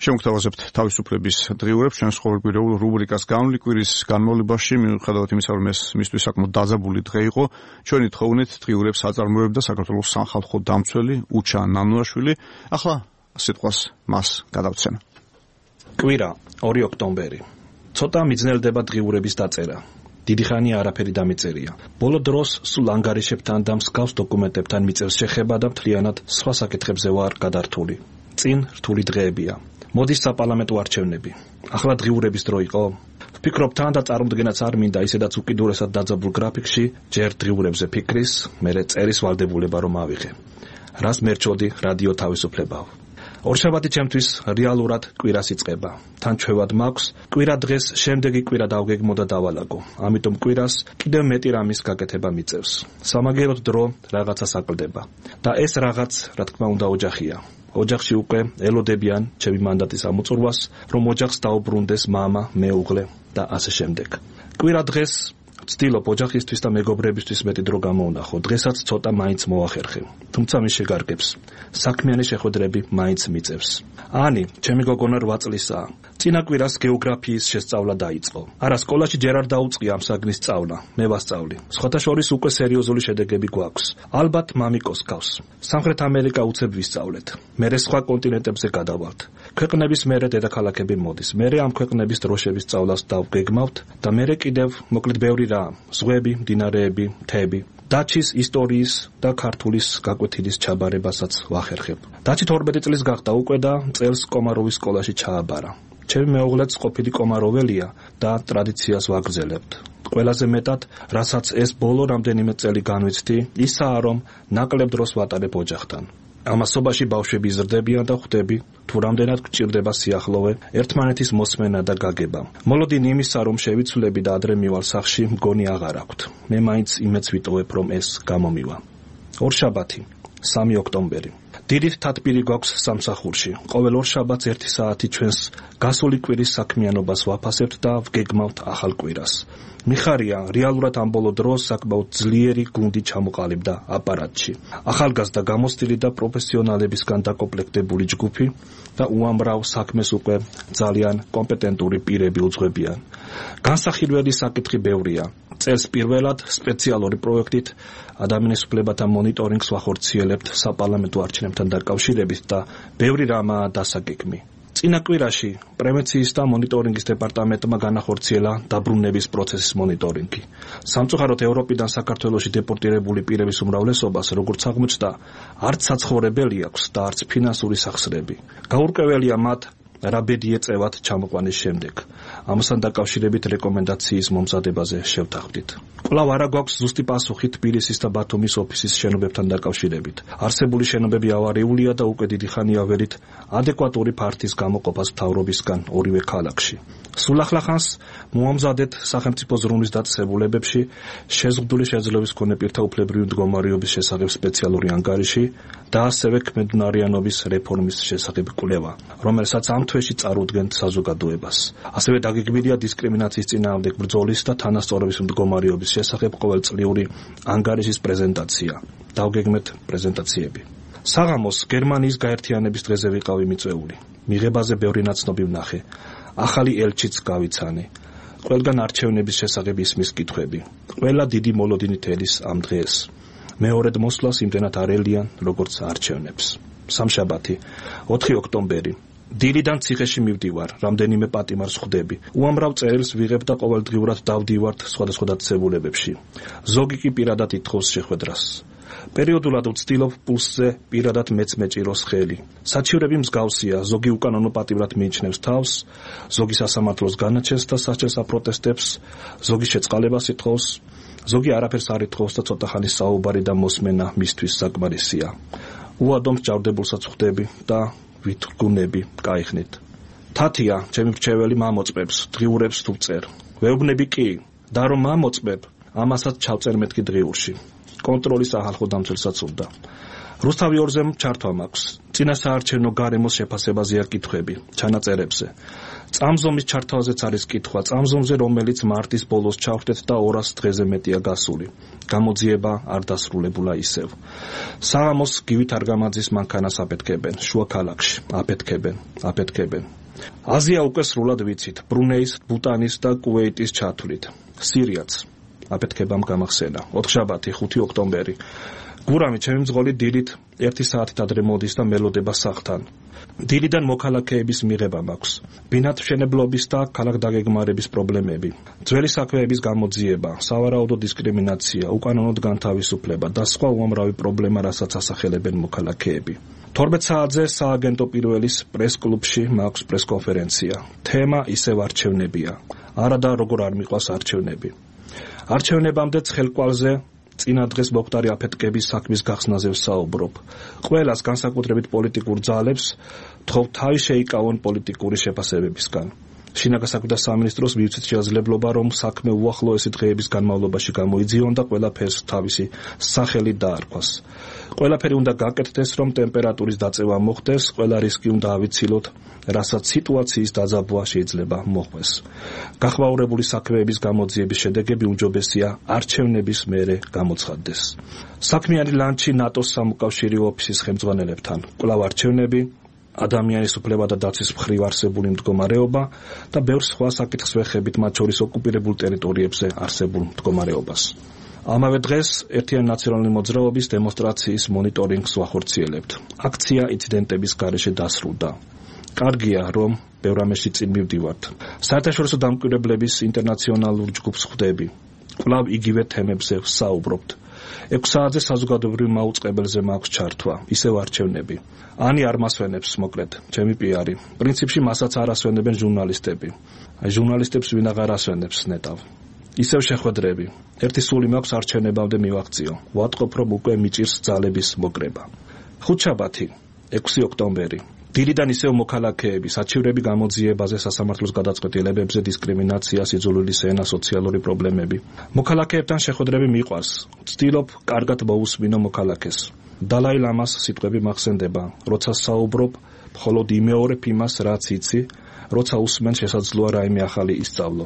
Შემოგთავაზებთ თავისუფლების დღიურებს ჩვენს ყოველკვირეულ რუბრიკას განვლი კვირის განმავლობაში მიუხედავად იმისა, რომ ეს მისთვის საკმაოდ დაძაბული დღე იყო, ჩვენი თხოვნით დღიურებს აწარმოებდა საქართველოს სახალხო დამცველი უჩა ნანუაშვილი. ახლა სიტყვას მას გადავცემა. კვირა 2 ოქტომბერი. ცოტა მიძნელდება დღიურების დაწერა. დიდი ხანია არაფერი დამიწერია. ბოლო დროს სულ ანგარიშებთან და მსგავს დოკუმენტებთან მიწევს შეხება და მთლიანად სხვა საკითხებზე ვარ გადართული. წინ რთული დღეებია. მოდის საპარლამენტო არჩევნები. ახლა დღიურების დრო იყო? ვფიქრობ თან და წარმოდგენაც არ მინდა ისედაც უკიდურესად დაძაბულ გრაფიკში ჯერ დღიურებზე ფიქრის, მერე წერის ვალდებულება რომ ავიღე. რას მერჩოდი რადიო თავისუფლებავ. ორშაბათი ჩემთვის რეალურად კვირას იწყება. თან ჩვევად მაქვს კვირა დღეს შემდეგი კვირა დავგეგმო და დავალაგო. ამიტომ კვირას კიდევ მეტი რამის გაკეთება მიწევს. სამაგეროდ დრო რაღაცას აკლდება. და ეს რაღაც, რა თქმა უნდა, ოჯახია. ოჯახში უკვე ელოდებიან ჩემი მანდატის ამოწურვას, რომ ოჯახს დაუბრუნდეს მამა, მეუღლე და ასე შემდეგ. კვირა დღეს ვცდილობ ოჯახისთვის და მეგობრებისთვის მეტი დრო გამოვნახო. დღესაც ცოტა მაინც მოახერხე. თუმცა მის შეგარგებს საქმიანი შეხვედრები მაინც მიწევს. ანი, ჩემი გოგონა 8 წლისაა. წინა კვირას გეოგრაფიის შესწავლა დაიწყო. არა, სკოლაში ჯერ არ დაუწყია ამ საგნის სწავლა. მე ვასწავლი. სხვათა შორის უკვე სერიოზული შედეგები გვაქვს. ალბათ მამიკოს გავს. სამხრეთ ამერიკა უცებ ვისწავლეთ. მერე სხვა კონტინენტებზე გადავალთ. ქვეყნების მერე დედაქალაქები მოდის. მერე ამ ქვეყნების დროშების სწავლას დავგეგმავთ და მერე კიდევ მოკლედ ბევრი რა, ზღვები, მდინარეები, მთები. დაჩის ისტორიის და ქართულის გაკვეთილის ჩაბარებასაც ვახერხებ. დაჩი 12 წლის გახდა უკვე და წელს კომაროვის სკოლაში ჩააბარა. ჩემი მეუღლეც ყოფილი კომაროველია და ტრადიციას ვაგრძელებთ. ყველაზე მეტად, რასაც ეს ბოლო რამდენიმე წელი განვიცდი, ისაა, რომ ნაკლებ დროს ვატარებ ოჯახთან. ამასობაში ბავშვები იზრდებიან და ხვდები, თუ რამდენად გჭირდება სიახლოვე, ერთმანეთის მოსმენა და გაგება. მოლოდინი იმისა, რომ შევიცვლები და ადრე მივალ სახლში, მგონი აღარ აქვთ. მე მაინც იმედს ვიტოვებ, რომ ეს გამომივა. ორშაბათი, 3 ოქტომბერი. დიდით თათბირი გვაქვს სამსახურში. ყოველ ორშაბათს 1 საათი ჩვენს გასული კვირის საქმიანობას ვაფასებთ და ვგეგმავთ ახალ კვირას. მიხარია, რეალურად ამ ბოლო დროს საკმაოდ ძლიერი გუნდი ჩამოყალიბდა აპარატში. ახალგაზრდა გამოცდილი და პროფესიონალებისგან დაკომპლექტებული ჯგუფი და უამრავ საქმეს უკვე ძალიან კომპეტენტური პირები უძღვებიან. განსახილველი საკითხი ბევრია. წელს პირველად სპეციალური პროექტით ადამიანის უფლებათა მონიტორინგს ვახორციელებთ საპარლამენტო არჩევნებთან დაკავშირებით და ბევრი რამაა დასაგეგმი. წინა კვირაში პრევენციის და მონიტორინგის დეპარტამენტმა განახორციელა დაბრუნების პროცესის მონიტორინგი. სამწუხაროდ ევროპიდან საქართველოში დეპორტირებული პირების უმრავლესობას, როგორც აღმოჩნდა, არც საცხოვრებელი აქვს და არც ფინანსური სახსრები. გაურკვეველია მათ რა ბედი ეწევათ ჩამოყვანის შემდეგ. ამასთან დაკავშირებით რეკომენდაციის მომზადებაზე შევთანხმდით. კვლავ არა გვაქვს ზუსტი პასუხი თბილისის და ბათუმის ოფისის შენობებთან დაკავშირებით. არსებული შენობები ავარიულია და უკვე დიდი ხანია ველით ადეკვატური ფართის გამოყოფას მთავრობისგან ორივე ქალაქში. სულ ახლახანს მოამზადეთ სახელმწიფო ზრუნვის დაწესებულებებში შეზღუდული შეძლების მქონე პირთა უფლებრივი მდგომარეობის შესახებ სპეციალური ანგარიში და ასევე ქმედუნარიანობის რეფორმის შესახებ კვლევა, რომელსაც ამ თვეში წარუდგენთ საზოგადოებას. ასევე დაგეგმილია დისკრიმინაციის წინააღმდეგ ბრძოლის და თანასწორობის მდგომარეობის შესახებ ყოველწლიური ანგარიშის პრეზენტაცია. დავგეგმეთ პრეზენტაციები. საღამოს გერმანიის გაერთიანების დღეზე ვიყავი მიწვეული. მიღებაზე ბევრი ნაცნობი ვნახე. ახალი ელჩიც გავიცანე. ყველგან არჩევნების შესახებ ისმის კითხვები. ყველა დიდი მოლოდინით ელის ამ დღეს. მეორედ მოსვლას იმდენად არელიან, როგორც არჩევნებს. სამშაბათი, 4 ოქტომბერი. დილიდან ციხეში მივდივარ, რამდენიმე პატიმარს ხვდები. უამრავ წერილს ვიღებ და ყოველდღიურად დავდივართ სხვადასხვა დაწესებულებებში. ზოგი კი პირადად ითხოვს შეხვედრას. პერიოდულად ვცდილობ პულსზე პირადად მეც მეჭიროს ხელი. საჩივრები მსგავსია, ზოგი უკანონო პატიმრად მიიჩნევს თავს, ზოგი სასამართლოს განაჩენს და სასჯელს აპროტესტებს, ზოგი შეწყალებას ითხოვს, ზოგი არაფერს არ ითხოვს და ცოტა ხანის საუბარი და მოსმენა მისთვის საკმარისია. უადომ ჭარდებულსაც ხვდები და ვითგუნები, კაიხნით. თათია, ჩემი მრჩეველი მამოწმებს, დღიურებს თუ წერ. ვეუბნები კი, და რომ მამოწმებ, ამასაც ჩავწერ მეთქი დღიურში. კონტროლის ახალხო დამცველსაც უნდა. რუსთავი 2-ზე ჩართვა მაქვს. წინასაარჩევნო გარემოს შეფასებაზეა კითხვები, ჩანაწერებზე. წამზომის ჩართვაზეც არის კითხვა, წამზომზე რომელიც მარტის ბოლოს ჩავხვდეთ და 200 დღეზე მეტია გასული. გამოძიება არ დასრულებულა ისევ. საღამოს გივით არგამაძის მანქანას აფეთქებენ, შუა ქალაქში, აფეთქებენ. აზია უკვე სრულად ვიცით, ბრუნეის, ბუტანის და კუვეიტის ჩათვლით. სირიაც აფეთქებამ გამახსენა. 4-შაბათი, 5 ოქტომბერი. გურამი ჩემი მძღოლი დილით 1 საათით ადრე მოდის და მელოდება სახლთან. დილიდან მოქალაქეების მიღება მაქვს. ბინადმშენებლობის და ქალაქ-დაგეგმარების პრობლემები, ძველი საქმეების გამოძიება, სავარაუდო დისკრიმინაცია, უკანონოდ განთავისუფლება და სხვა უამრავი პრობლემა, რასაც ასახელებენ მოქალაქეები. 12 საათზე სააგენტო პირველის პრეს-კლუბში მაქვს პრეს-კონფერენცია. თემა ისევ არჩევნებია. არა და როგორ არ მიყვას არჩევნები. არჩევნებამდე ცხელკვალზე წინა დღეს მოხდარი აფეთქების საქმის გახსნაზე ვსაუბრობ. ყველას განსაკუთრებით პოლიტიკურ ძალებს თხოვ თავი შეიკავონ პოლიტიკური შეფასებებისგან. შინაგან საქმეთა სამინისტროს მივცეთ შესაძლებლობა, რომ საქმე უახლოესი დღეების განმავლობაში გამოიძიონ და ყველაფერს თავისი სახელი დაარქვას. ყველაფერი უნდა გაკეთდეს, რომ ტემპერატურის დაწევა მოხდეს, ყველა რისკი უნდა ავიცილოთ, რასაც სიტუაციის დაძაბვა შეიძლება მოხდეს. გახმაურებული საქმეების გამოძიების შედეგები უმჯობესია არჩევნების მერე გამოცხადდეს. საქმიანი ლანჩი ნატოს სამოკავშირეო ოფისის ხელმძღვანელებთან. კვლავ არჩევნები, ადამიანის უფლება და დაცვის მხრივ არსებული მდგომარეობა და ბევრ სხვა საკითხს ვეხებით, მათ შორის ოკუპირებულ ტერიტორიებზე არსებულ მდგომარეობას. ამავე დღეს ერთიანი ნაციონალური მოძრაობის დემონსტრაციის მონიტორინგს ვახორციელებთ. აქცია ინციდენტების გარეშე დასრულდა. კარგია, რომ ბევრ ამაში წინ მივდივართ. საერთაშორისო დამკვირვებლების ინტერნაციონალურ ჯგუფს ხვდები. კვლავ იგივე თემებზე ვსაუბრობთ. 6 საათზე საზოგადოებრივ მაუწყებელზე მაქვს ჩართვა, ისევ არჩევნები. ანი არ მასვენებს, მოკლედ, ჩემი პიარი. პრინციპში მასაც არ ასვენებენ ჟურნალისტები. ჟურნალისტებს ვინ აღარ ასვენებს, ნეტავ. ისევ შეხვედრები. ერთი სული მაქვს არჩევნებამდე მივაღწიო. ვატყობ, რომ უკვე მიჭირს ძალების მოკრება. 5-შაბათი, 6 ოქტომბერი. დილიდან ისევ მოქალაქეები, საჩივრები გამოძიებაზე, სასამართლოს გადაწყვეტილებებზე, დისკრიმინაცია, სიძულვილის ენა, სოციალური პრობლემები. მოქალაქეებთან შეხვედრები მიყვარს. ვცდილობ კარგად მოусმინო მოქალაქეს. დალაი ლამას სიტყვები მახსენდება, როცა საუბრობ, მხოლოდ იმეორებ იმას, რაც იცი, როცა უსმენ შესაძლოა რაიმე ახალი ისწავლო.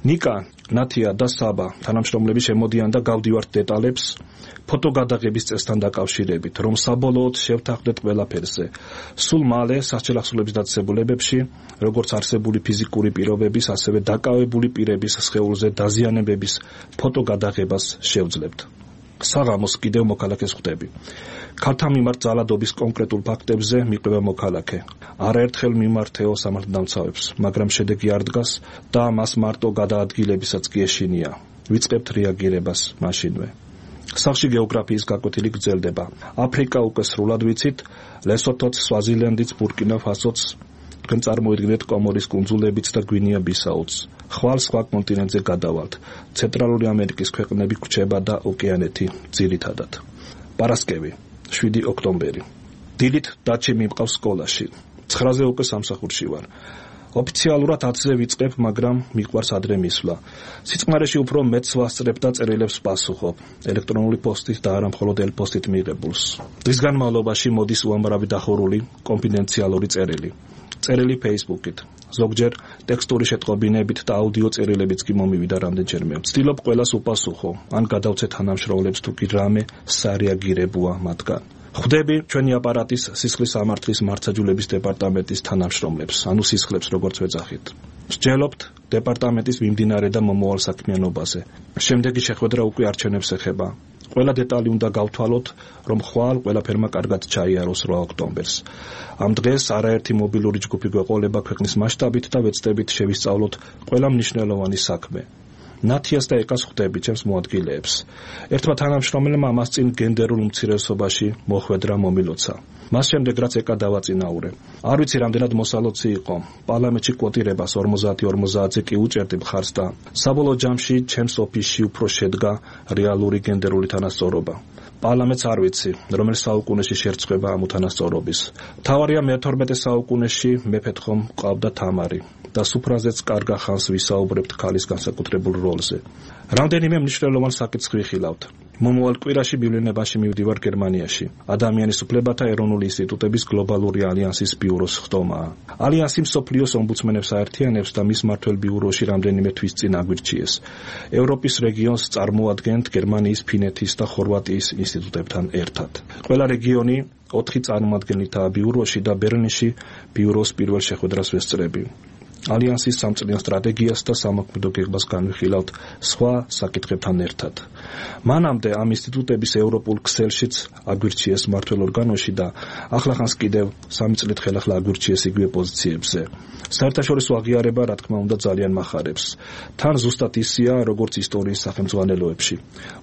ნიკა, ნათია და საბა თანამშრომლები შემოდიან და გავდივართ დეტალებს ფოტოგადაღების წესთან დაკავშირებით, რომ საბოლოოდ შევთანხმდეთ ყველაფერზე. სულ მალე სასჯელახსოვრების დაწესებულებებში, როგორც არსებული ფიზიკური პირობების, ასევე დაკავებული პირების სხეულზე დაზიანებების ფოტოგადაღებას შევძლებთ. საღამოს კიდევ მოქალაქეს ხვდები. ქალთა მიმართ ძალადობის კონკრეტულ ფაქტებზე მიყვება მოქალაქე. არაერთხელ მიმართეო სამართალდამცავებს, მაგრამ შედეგი არ დგას და მას მარტო გადაადგილებისაც კი ეშინია. ვიწყებთ რეაგირებას მაშინვე. სახლში გეოგრაფიის გაკვეთილი გრძელდება. აფრიკა უკვე სრულად ვიცით, ლესოთოც, სვაზილენდიც, ბურკინა ფასოც, თქვენ წარმოიდგინეთ კომორის კუნძულებიც და გვინეა-ბისაუც. ხვალ სხვა კონტინენტზე გადავალთ. ცენტრალური ამერიკის ქვეყნები გვჩება და ოკეანეთი ძირითადად. პარასკევი, 7 ოქტომბერი. დილით დათში მიმყავს სკოლაში. 9-ზე უკვე სამსახურში ვარ. ოფიციალურად 10-ზე ვიწყებ, მაგრამ მიყვარს ადრე მისვლა. სიწყნარეში უფრო მეც ვასწრებ და წერილებს პასუხობ. ელექტრონული პოსტით და არა მხოლოდ ელ-პოსტით მიღებულს. დღის განმავლობაში მოდის უამრავი დახურული, კონფიდენციალური წერილი. წერილი Facebook-ით. ზოგჯერ ტექსტური შეტყობინებით და აუდიო წერილებიც კი მომივიდა რამდენჯერმე. ვცდილობ ყველას უპასუხო, ან გადავცე თანამშრომლებს თუ კი რამე სარეაგირებოა მათგან. ხვდები ჩვენი აპარატის სისხლის სამართლის მართლმსაჯულების დეპარტამენტის თანამშრომლებს, ანუ სისხლებს როგორც ვეძახით. მსჯელობთ დეპარტამენტის მიმდინარე და მომავალ საქმიანობაზე. შემდეგი შეხვედრა უკვე არჩევნებს ეხება. ყველა დეტალი უნდა გავთვალოთ, რომ ხვალ ყველაფერმა კარგად ჩაიაროს 8 ოქტომბერს. ამ დღეს არაერთი მობილური ჯგუფი გვეყოლება ქვეყნის მასშტაბით და ვეცდებით შევისწავლოთ ყველა მნიშვნელოვანი საქმე. ნათიას და ეკას ხვდები ჩემს მოადგილეებს. ერთმა თანამშრომელმა ამას წინ გენდერულ უმცირესობაში მოხვედრა მომილოცა. მას შემდეგ რაც ეკა დავაწინაურე. არ ვიცი რამდენად მოსალოცი იყო. პარლამენტში კვოტირებას 50-50-ზე კი უჭერდი მხარს და საბოლოო ჯამში ჩემს ოფისში უფრო შედგა რეალური გენდერული თანასწორობა. პარლამენტს არ ვიცი, რომელ საუკუნეში შერწყება ამ უთანასწორობის. მთავარია მე-12 საუკუნეში მეფეთ ხომ ყავდა თამარი. და სუფრაზეც კარგა ხანს ვისაუბრებთ ქალის განსაკუთრებულ როლზე. რამდენიმე მნიშვნელოვან საკითხს ვიხილავთ. მომავალ კვირაში მივლინებაში მივდივარ გერმანიაში. ადამიანის უფლებათა ეროვნული ინსტიტუტების გლობალური ალიანსის ბიუროს ხტომაა. ალიანსი მსოფლიოს ომბუდსმენებს აერთიანებს და მის მმართველ ბიუროში რამდენიმე თვის წინ აგვირჩიეს. ევროპის რეგიონს წარმოადგენთ გერმანიის, ფინეთის და ხორვატიის ინსტიტუტებთან ერთად. ყველა რეგიონი 4 წარმომადგენლითაა ბიუროში და ბერლინში ბიუროს პირველ შეხვედრას ვესწრები. ალიანსის სამწლიან სტრატეგიას და სამოქმედო გეგმას განვიხილავთ სხვა საკითხებთან ერთად. მანამდე ამ ინსტიტუტების ევროპულ ქსელშიც აგვირჩიეს მმართველ ორგანოში და ახლახანს კიდევ 3 წლით ხელახლა აგვირჩიეს იგივე პოზიციებზე. საერთაშორისო აღიარება, რა თქმა უნდა, ძალიან მახარებს. თან ზუსტად ისია, როგორც ისტორიის სახელმძღვანელოებში.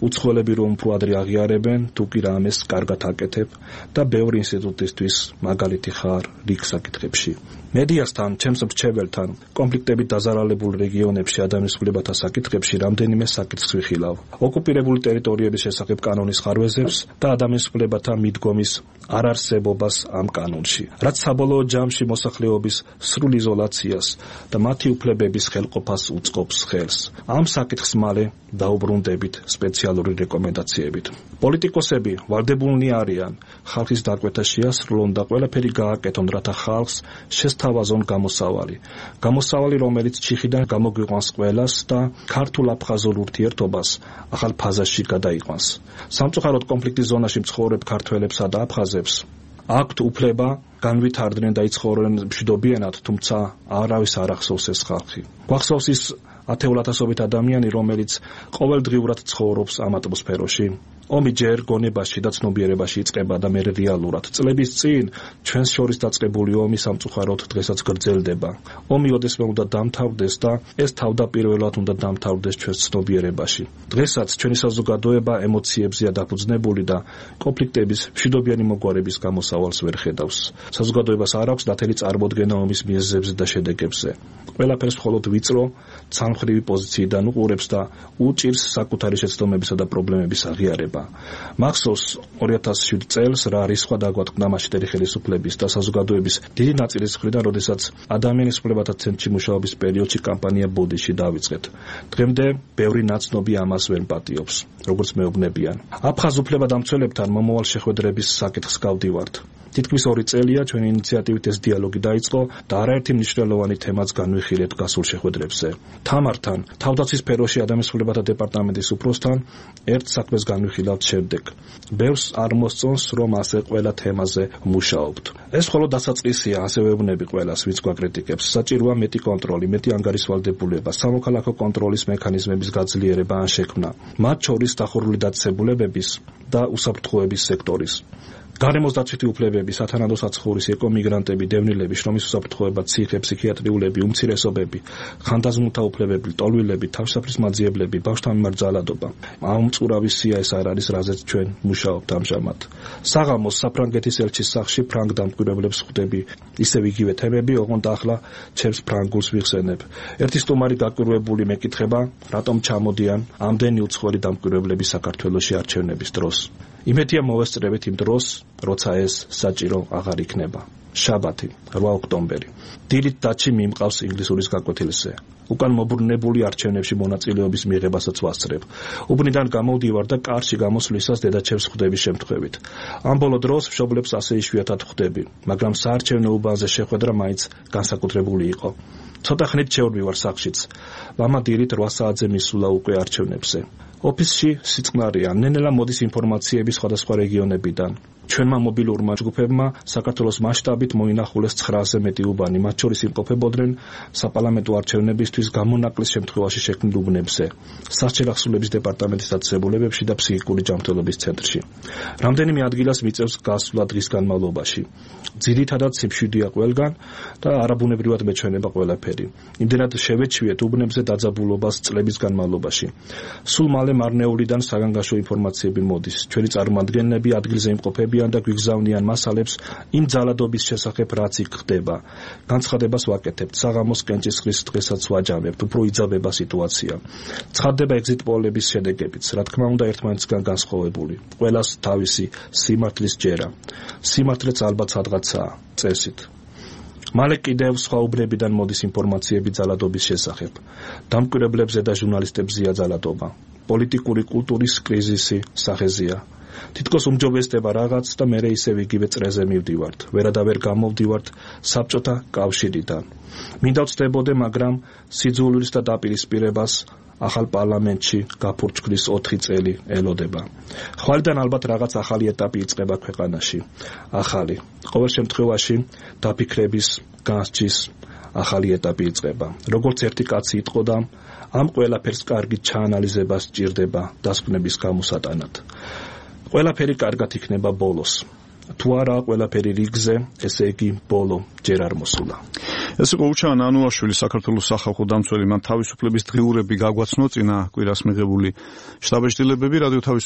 უცხოელები რომ უფრო ადრე აღიარებენ, თუ კი რამეს კარგად აკეთებ და ბევრი ინსტიტუტისთვის მაგალითი ხარ რიგ საკითხებში. მედიასთან, ჩემს მრჩეველთან, კონფლიქტებით დაზარალებულ რეგიონებში ადამიანის უფლებათა საკითხებში რამდენიმე საკითხს ვიხილავ. ოკუპირებული ტერიტორიების შესახებ კანონის ხარვეზებს და ადამიანის უფლებათა მიდგომის არარსებობას ამ კანონში, რაც საბოლოო ჯამში მოსახლეობის სრულ იზოლაციას და მათი უფლებების ხელყოფას უწყობს ხელს. ამ საკითხს მალე დაუბრუნდებით სპეციალური რეკომენდაციებით. პოლიტიკოსები ვალდებულნი არიან ხალხის დაკვეთა შეასრულონ და ყველაფერი გააკეთონ, რათა ხალხს შესთავაზონ გამოსავალი, რომელიც ჩიხიდან გამოგვიყვანს ყველას და ქართულ-აფხაზურ ურთიერთობას ახალ ფაზაში გადაიყვანს. სამწუხაროდ კონფლიქტის ზონაში მცხოვრებ ქართველებსა და აფხაზებს აქვთ უფლება განვითარდნენ და იცხოვრენ მშვიდობიანად, თუმცა არავის არ ახსოვს ეს ხალხი. გვახსოვს ის ათეულათასობით ადამიანი, რომელიც ყოველდღიურად ცხოვრობს ამ ატმოსფეროში. ომი ჯერ გონებაში და ცნობიერებაში იწყება და მერე რეალურად. წლების წინ ჩვენს შორის დაწყებული ომი სამწუხაროდ დღესაც გრძელდება. ომი ოდესმე უნდა დამთავრდეს და ეს თავდაპირველად უნდა დამთავრდეს ჩვენს ცნობიერებაში. დღესაც ჩვენი საზოგადოება ემოციებზეა დაფუძნებული და კონფლიქტების მშვიდობიანი მოგვარების გამოსავალს ვერ ხედავს. საზოგადოებას არ აქვს დათელი წარმოდგენა ომის მიზეზებზე და შედეგებზე. ყველაფერს მხოლოდ ვიწრო, ცალმხრივი პოზიციიდან უყურებს და უჭირს საკუთარი შეცდომებისა და პრობლემების აღიარება. მახსოვს 2007 წელს რა არის სხვა დაგვატყდა მასშტაბური ხელისუფლების და საზოგადოების დიდი ნაწილის მხრიდან, როდესაც ადამიანის უფლებათა ცენტრში მუშაობის პერიოდში კამპანია ბოდიში დავიწყეთ. დღემდე ბევრი ნაცნობი ამას ვერ პატიობს, როგორც მეუბნებიან. აფხაზ უფლებადამცველებთან მომავალ შეხვედრების საკითხს გავდივართ. თითქმის 2 წელია ჩვენი ინიციატივით ეს დიალოგი დაიწყო და არაერთი მნიშვნელოვანი თემაც განვიხილეთ გასულ შეხვედრებზე. თამართან, თავდაცვის სფეროში ადამიანის უფლებათა დეპარტამენტის უფროსთან ერთ საქმეს განვიხილავთ შემდეგ. ბევრს არ მოსწონს, რომ ასე ყველა თემაზე მუშაობთ. ეს მხოლოდ დასაწყისია, ასე ვეუბნები ყველას, ვინც გვაკრიტიკებს. საჭიროა მეტი კონტროლი, მეტი ანგარიშვალდებულება, სამოქალაქო კონტროლის მექანიზმების გაძლიერება ან შექმნა, მათ შორის დახურული დაწესებულებების და უსაფრთხოების სექტორის. გარემოს დაცვითი უფლებები, სათანადო საცხოვრისი, ეკომიგრანტები, დევნილები, შრომის უსაფრთხოება, ციხე, ფსიქიატრიულები, უმცირესობები, ხანდაზმულთა უფლებები, ტოლვილები, თავშესაფრის მაძიებლები, ბავშვთა მიმართ ძალადობა. ამ მწურავი სია ეს არ არის, რაზეც ჩვენ მუშაობთ ამჟამად. საღამოს საფრანგეთის ელჩის სახლში ფრანგ დამკვირვებლებს ხვდები. ისევ იგივე თემები, ოღონდ ახლა ჩემს ფრანგულს ვიხსენებ. ერთი სტუმარი გაკვირვებული მეკითხება, რატომ ჩამოდიან ამდენი უცხოელი დამკვირვებლები საქართველოში არჩევნების დროს. იმედია მოვესწრებით იმ დროს, როცა ეს საჭირო აღარ იქნება. შაბათი, 8 ოქტომბერი. დილით დათში მიმყავს ინგლისურის გაკვეთილზე. უკან მობრუნებული არჩევნებში მონაწილეობის მიღებასაც ვასწრებ. უბნიდან გამოვდივარ და კარში გამოსვლისას დედაჩემს ხვდების შემთხვევით. ამ ბოლო დროს მშობლებს ასე იშვიათად ხვდები, მაგრამ საარჩევნო უბანზე შეხვედრა მაინც განსაკუთრებული იყო. ცოტა ხნით შევდივარ სახლშიც. მამა დილით 8 საათზე მისულა უკვე არჩევნებზე. ოფისში სიწყნარია, ნენელა მოდის ინფორმაციები სხვადასხვა რეგიონებიდან. ჩვენმა მობილურმა ჯგუფებმა საქართველოს მასშტაბით მოინახულეს 900-ზე მეტი უბანი, მათ შორის იმყოფებოდნენ საპარლამენტო არჩევნებისთვის გამონაკლის შემთხვევაში შექმნილ უბნებზე, სასჯელი ახსნილების დეპარტამენტის დაწესებულებებში და ფსიქიკური ჯანმრთელობის ცენტრში. რამდენიმე ადგილას მიწევს გასვლა დღის განმავლობაში. ძირითადად სიმშვიდეა ყველგან და არაბუნებრივად მეჩვენება ყველაფერი. იმდენად შევეჩვიეთ უბნებზე დაძაბულობას წლების განმავლობაში. სულ მალე მარნეულიდან საგანგაშო ინფორმაციები მოდის. ჩვენი წარმომადგენლები ადგილზე იმყოფებიან და გვიგზავნიან მასალებს იმ ძალადობის შესახებ, რაც იქ ხდება. განცხადებას ვაკეთებთ, საღამოს კენჭისყრის დღესაც ვაჯამებთ, უფრო იძაბება სიტუაცია. ცხადდება ეგზიტ პოლების შედეგებიც, რა თქმა უნდა, ერთმანეთისგან განსხვავებული. ყველას თავისი სიმართლის ჯერა. სიმართლეც ალბათ სადღაცაა, წესით. მალე კიდევ სხვა უბნებიდან მოდის ინფორმაციები ძალადობის შესახებ. დამკვირვებლებზე და ჟურნალისტებზეა ძალადობა. პოლიტიკური კულტურის კრიზისი სახეზეა. თითქოს უმჯობესდება რაღაც და მერე ისევ იგივე წრეზე მივდივართ. ვერადავერ გამოვდივართ საბჭოთა კავშირიდან. მინდა ვწდებოდე, მაგრამ სიძულვილს და დაპირისპირებას ახალ პარლამენტში გაფურჩქვის 4 წელი ელოდება. ხვალიდან ალბათ რაღაც ახალი ეტაპი იწყება ქვეყანაში. ახალი. ყოველ შემთხვევაში დაფიქრების, განსჯის ახალი ეტაპი იწყება. როგორც ერთი კაცი იტყოდა, ამ ყველაფერს კარგი ჩაანალიზება სჭირდება დასკვნების გამოსატანად. ყველაფერი კარგად იქნება ბოლოს. თუ არა ყველაფერი რიგზე, ესე იგი ბოლო ჯერ არ მოსულა. ეს იყო უჩა ნანუაშვილი, საქართველოს სახალხო დამცველი. მან თავისუფლების დღიურები გაგვაცნო წინა კვირას მიღებული შტაბეჭდილებები. რადიო თავისუფლების